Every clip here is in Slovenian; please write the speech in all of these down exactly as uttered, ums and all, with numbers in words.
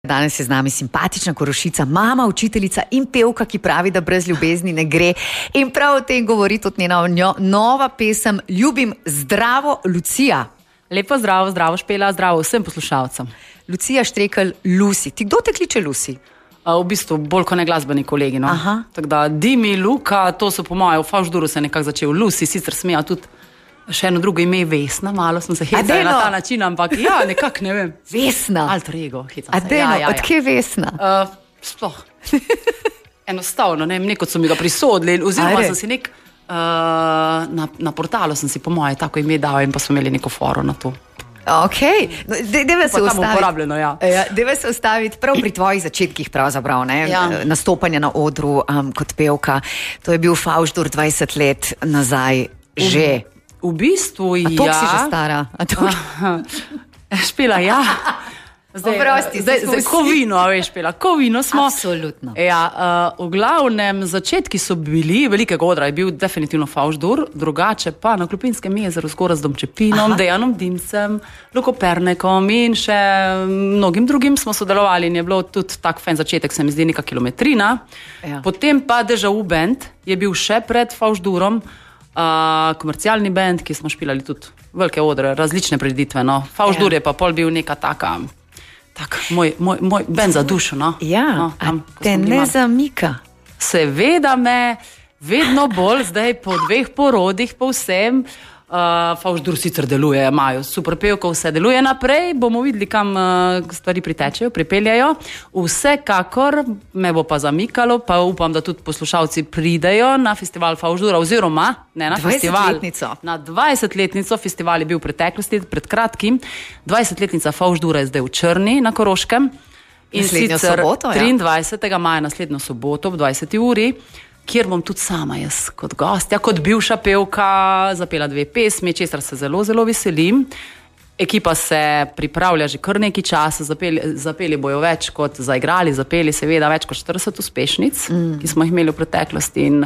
Danes je z nami simpatična Korošica, mama, učiteljica in pevka, ki pravi, da brez ljubezni ne gre. In prav o tem govori tudi njena njo, nova pesem Ljubim zdravo, Lucija. Lepo zdravo, zdravo Špela, zdravo vsem poslušalcem. Lucija Štrekelj, Lusi. Ti kdo te kliče Lusi? V bistvu bolj kot ne glasbeni kolegi. No? Tako da Dimi, Luka, to so po mojem, v Favžduru se je nekako začel. Lusi sicer smeja tudi še eno drugo ime, Vesna, malo sem se hecala na ta način, ampak ja, nekako ne vem. Vesna? Alter ego, hecam se. Adeno, ja, ja, ja. Odkje Vesna? Uh, sploh. Enostavno, ne vem, nekot so mi ga prisodili, oziroma sem si nek, uh, na, na portalu sem si po moje tako ime dal in pa smo imeli neko foro na to. Ok, no, deve se ustaviti, ja. ja, deve se ustaviti prav pri tvojih začetkih pravzaprav, ne, ja. Nastopanja na odru um, kot pevka. To je bil Favždur dvajset let nazaj že. V bistvu, ja. A toliko si že stara? Špela, ja. Zdaj, Oprosti, zdaj, zdaj ko vino, a veš, Špela, ko vino smo. Absolutno. Ja, uh, v glavnem, začetki so bili, velikega odra je bil definitivno Favždur, drugače pa na Klupinskem jezeru zgoraj z Domčepinom, Dejanom Dimcem, Luko Pernekom in še mnogim drugim smo sodelovali in je bilo tudi tak fajn začetek, se mi zdi, neka kilometrina. Ja. Potem pa Deja Vu band je bil še pred Favždurom, Uh, komercialni band, ki smo špilali tudi velike odre, različne preditve, no. Favždur ja. Je pa pol bil neka taka, tak, moj, moj, moj band za dušo, no. Ja, no, tam, te ne zamika. Seveda me, vedno bolj zdaj po dveh porodih povsem, uh, Favždur sicer deluje, imajo super pevko, vse deluje naprej, bomo videli, kam uh, stvari pritečejo, pripeljajo. Vsekakor me bo pa zamikalo, pa upam, da tudi poslušalci pridejo na festival Favždura, oziroma ne na festival. Na dvajsetletnico. Festival je bil v preteklosti, pred kratkim. dvajsetletnica Favždura je zdaj v Črni na Koroškem. In naslednjo sicer soboto, ja. triindvajsetega maja naslednjo soboto ob dvajseti uri, kjer bom tudi sama jaz kot gostja, kot bivša pevka zapela dve pesmi, česar se zelo, zelo veselim. Ekipa se pripravlja že kar nekaj časa, zapeli, zapeli bojo več kot zaigrali, zapeli seveda več kot štirideset uspešnic, mm. ki smo jih imeli v preteklosti in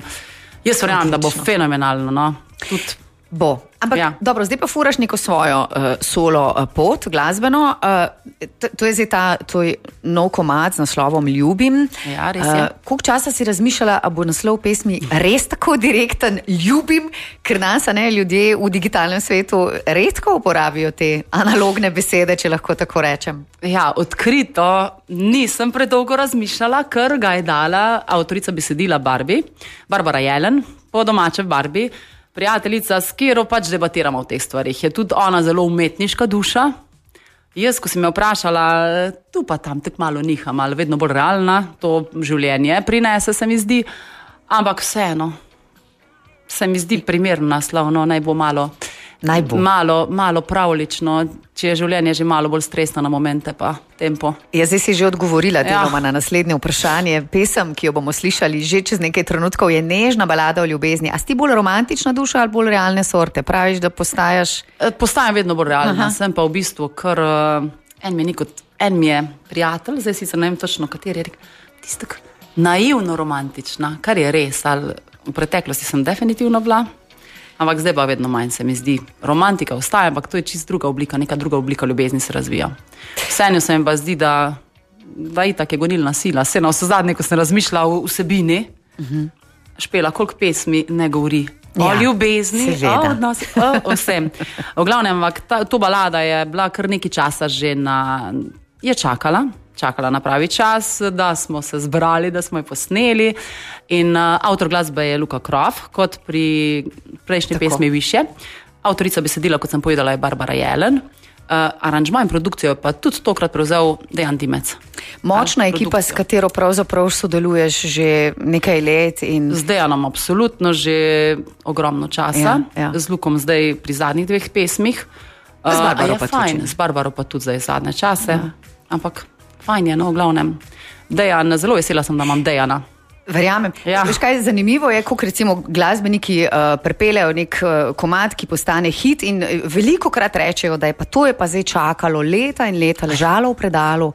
jaz verjamem, da bo fenomenalno, no. Tudi bo. Ampak ja. Dobro, zdaj pa furaš neko svojo uh, solo uh, pot, glasbeno. Uh, to, to je zdaj ta tvoj nov komad z naslovom Ljubim. Ja, res je. Uh, koliko časa si razmišljala, a bo naslov pesmi res tako direkten Ljubim, ker nas, ne, ljudje v digitalnem svetu redko uporabijo te analogne besede, če lahko tako rečem. Ja, odkrito nisem predolgo razmišljala, ker ga je dala avtorica besedila Barbie, Barbara Jelen, po domače Barbie, prijateljica, s katero pač debatiramo v teh stvarih. Je tudi ona zelo umetniška duša. Jaz, ko si me vprašala, tu pa tam tako malo niha, malo vedno bolj realna, to življenje prinese, se mi zdi, ampak vseeno, se mi zdi primerno naslovno, naj bo malo, naj bo. malo, malo pravlično, če je življenje že malo bolj stresno na momente pa tempo. Ja, zdaj si že odgovorila deloma ja. Na naslednje vprašanje. Pesem, ki jo bomo slišali že čez nekaj trenutkov, je nežna balada o ljubezni. A si ti bolj romantična duša ali bolj realne sorte? Praviš, da postajaš... Postajam vedno bolj realna. Aha. Sem pa v bistvu, ker uh, en mi je nikot, en mi je prijatelj, zdaj sicer ne vem točno, kateri je rekel, tistak naivno romantična, kar je res, ali v preteklosti sem definitivno bila. Ampak zdaj pa vedno manj se mi zdi. Romantika ostaja, ampak to je čist druga oblika, neka druga oblika ljubezni se razvija. Vseeno se mi pa zdi, da, da itak je gonilna sila. Vse na vse zadnje, ko sem razmišljala o vsebini, uh-huh. Špela, koliko pesmi ne govori ja, o ljubezni, o odnosi, o, o vsem. V glavnem, ta, to balada je bila kar nekaj časa že na... je čakala. čakala na pravi čas, da smo se zbrali, da smo jo posneli in uh, avtor glasbe je Luka Krof, kot pri prejšnji Tako. pesmi Više. Avtorica besedila, kot sem povedala, je Barbara Jelen. Uh, aranžma in produkcijo pa tudi tokrat prevzel Dejan Dimec. Močna ekipa, s katero pravzaprav sodeluješ že nekaj let. In... Z Dejanom absolutno že ogromno časa, ja, ja. Z Lukom zdaj pri zadnjih dveh pesmih. Z Barbaro uh, pa tudi. Z Barbaro pa tudi zdaj zadnje čase, ja. Ampak fajn je, no, v glavnem. Dejan, zelo vesela sem, da imam Dejana. Verjamem. Ja. Veš kaj, zanimivo je, kako recimo glasbeniki uh, prepeljajo nek uh, komad, ki postane hit in veliko krat rečejo, da je pa to je pa zdaj čakalo leta in leta, ležalo v predalu.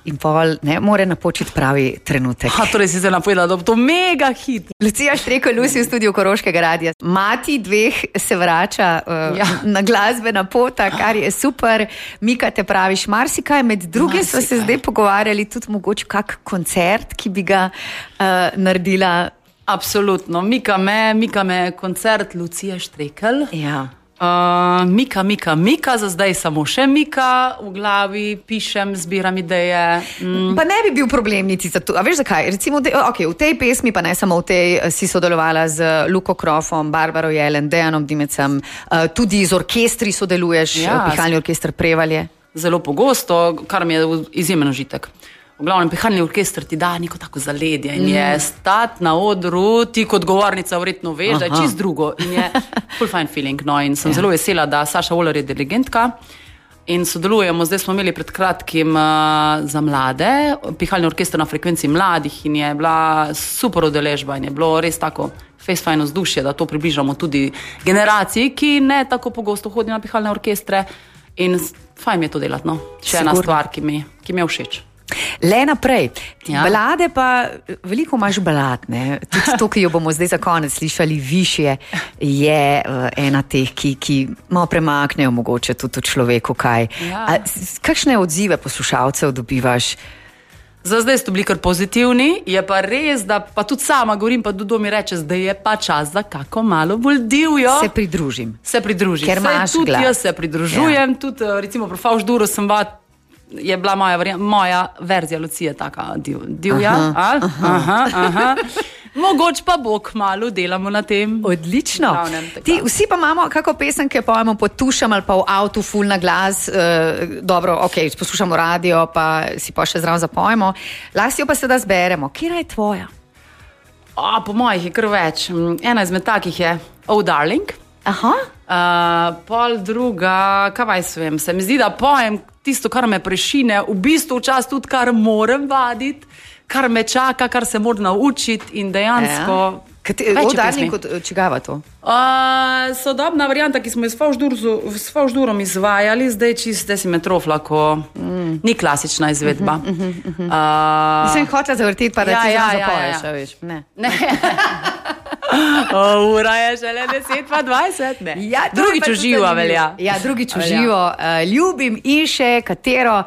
in pol ne more napočiti pravi trenutek. Ha, torej si se napovedala, da bo to mega hit. Lucija Štreko, Lucy v studiu Koroškega radia. Mati dveh se vrača uh, ja. na glasbena pota, kar je super. Mika, te praviš marsikaj, med drugim smo se zdaj pogovarjali tudi mogoče kak koncert, ki bi ga uh, naredila. Absolutno, Mika me, Mika me koncert Lucije Štrekelj. Ja. Uh, Mika, Mika, Mika, za zdaj samo še Mika, v glavi pišem, zbiram ideje. Mm. Pa ne bi bil problem niti za to. A veš zakaj? Recimo, de, okay, v tej pesmi, pa ne samo v tej, si sodelovala z Luko Krofom, Barbaro Jelen, Dejanom Dimecem, uh, tudi z orkestri sodeluješ, ja, Pihalni orkester Prevalje. Zelo pogosto, kar mi je izjemen užitek. V glavnem, Pihalni orkester ti da neko tako zaledje in je stat na odru, ti kot govornica vredno veš, da je čist drugo in je full fine feeling. No, in sem ja. zelo vesela, da Saša Oler je dirigentka in sodelujemo. Zdaj smo imeli pred kratkim uh, za mlade, Pihalni orkester na frekvenci mladih in je bila super udeležba in je bilo res tako face fine vzdušje, da to približamo tudi generaciji, ki ne tako pogosto hodi na pihalne orkestre in fajn mi je to delati. No. Še ena stvar, ki mi, ki mi je všeč. Le naprej. Ja. Balade pa, veliko imaš balad, ne? Tudi to, ki jo bomo zdaj za konec slišali, Višje, je uh, ena teh, ki, ki malo premaknejo mogoče tudi v človeku kaj. Ja. A, kakšne odzive poslušalcev dobivaš? Za zdaj so bili kar pozitivni, je pa res, da pa tudi sama govorim, pa Dudo mi reče, da je pa čas za kako malo bolj divjo. Se pridružim. Se pridružim. Ker imaš tudi glas. Jaz se pridružujem, ja. Tudi recimo pri Favš Duru sem va, je bila moja, moja verzija Lucije taka div, divja. Aha, aha, aha. Mogoče pa bo kmalu, delamo na tem. Odlično. Ti, vsi pa imamo kako pesem, ki jo pojemo pod tušem ali pa v avtu ful na glas. Uh, dobro, ok, poslušamo radio, pa si pa še zraven zapojemo. Lahko jo pa seveda zberemo. Kera je tvoja? O, po mojih je kar več. Ena izmed takih je Oh Darling. Aha. Uh, pol druga, kaj vaj svem, se mi zdi, da pojem tisto, kar me prešine, v bistvu včasih tudi, kar moram vaditi, kar me čaka, kar se moram naučiti in dejansko... Ja. Oh Darling, kot čigava to? Uh, sodobna varianta, ki smo jo s Favždurom izvajali, zdaj čiste si me trofla, ko mm. ni klasična izvedba. Uh -huh, uh -huh. uh, Nisem hotela zavrteti, pa da ja, ti ja, ja, zapoješ, ja, ja. veš. Ne. Ne. O, ura je šele deset pa dvajset, ne. Ja, drugič uživa velja. Ja, drugič uživo. Uh, ljubim in še katero.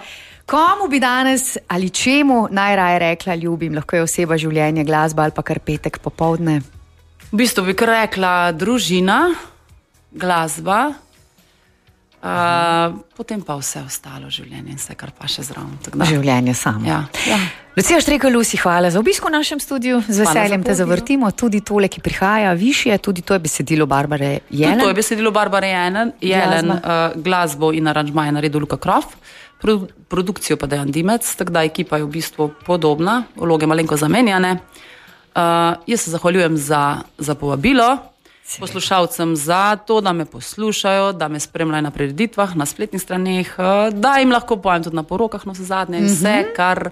Komu bi danes ali čemu najraje rekla ljubim? Lahko je oseba, življenje, glasba ali pa kar petek popoldne. V bistvu bi kar rekla družina, glasba, uh, potem pa vse ostalo življenje in vse, kar pa še zraven. Življenje samo. Ja. Ja. Lucija Štrekelj, Lucy, hvala za obisko v našem studiu. Z veseljem te zavrtimo. Tudi tole, ki prihaja, Višje, tudi to je besedilo Barbare Jelen. Tudi to je besedilo Barbare Jelen, Jelen uh, glasbo in aranžma je naredil Luka Krof. Produkcijo pa Dejan Dimec, tako da ekipa je v bistvu podobna, vloge malenko zamenjane. Uh, jaz se zahvaljujem za, za povabilo, Sebe. Poslušalcem za to, da me poslušajo, da me spremljajo na prireditvah, na spletnih straneh, uh, da jim lahko pojem tudi na porokah, no vse zadnje, mm-hmm. vse, kar,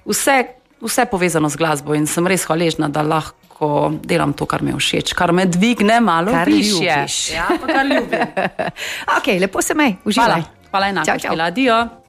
vse, vse povezano z glasbo in sem res hvaležna, da lahko delam to, kar mi je všeč, kar me dvigne malo kar višje. Ja, pa kar ljubim. Ok, lepo se mej, uživaj. Hvala, hvala enako, adijo.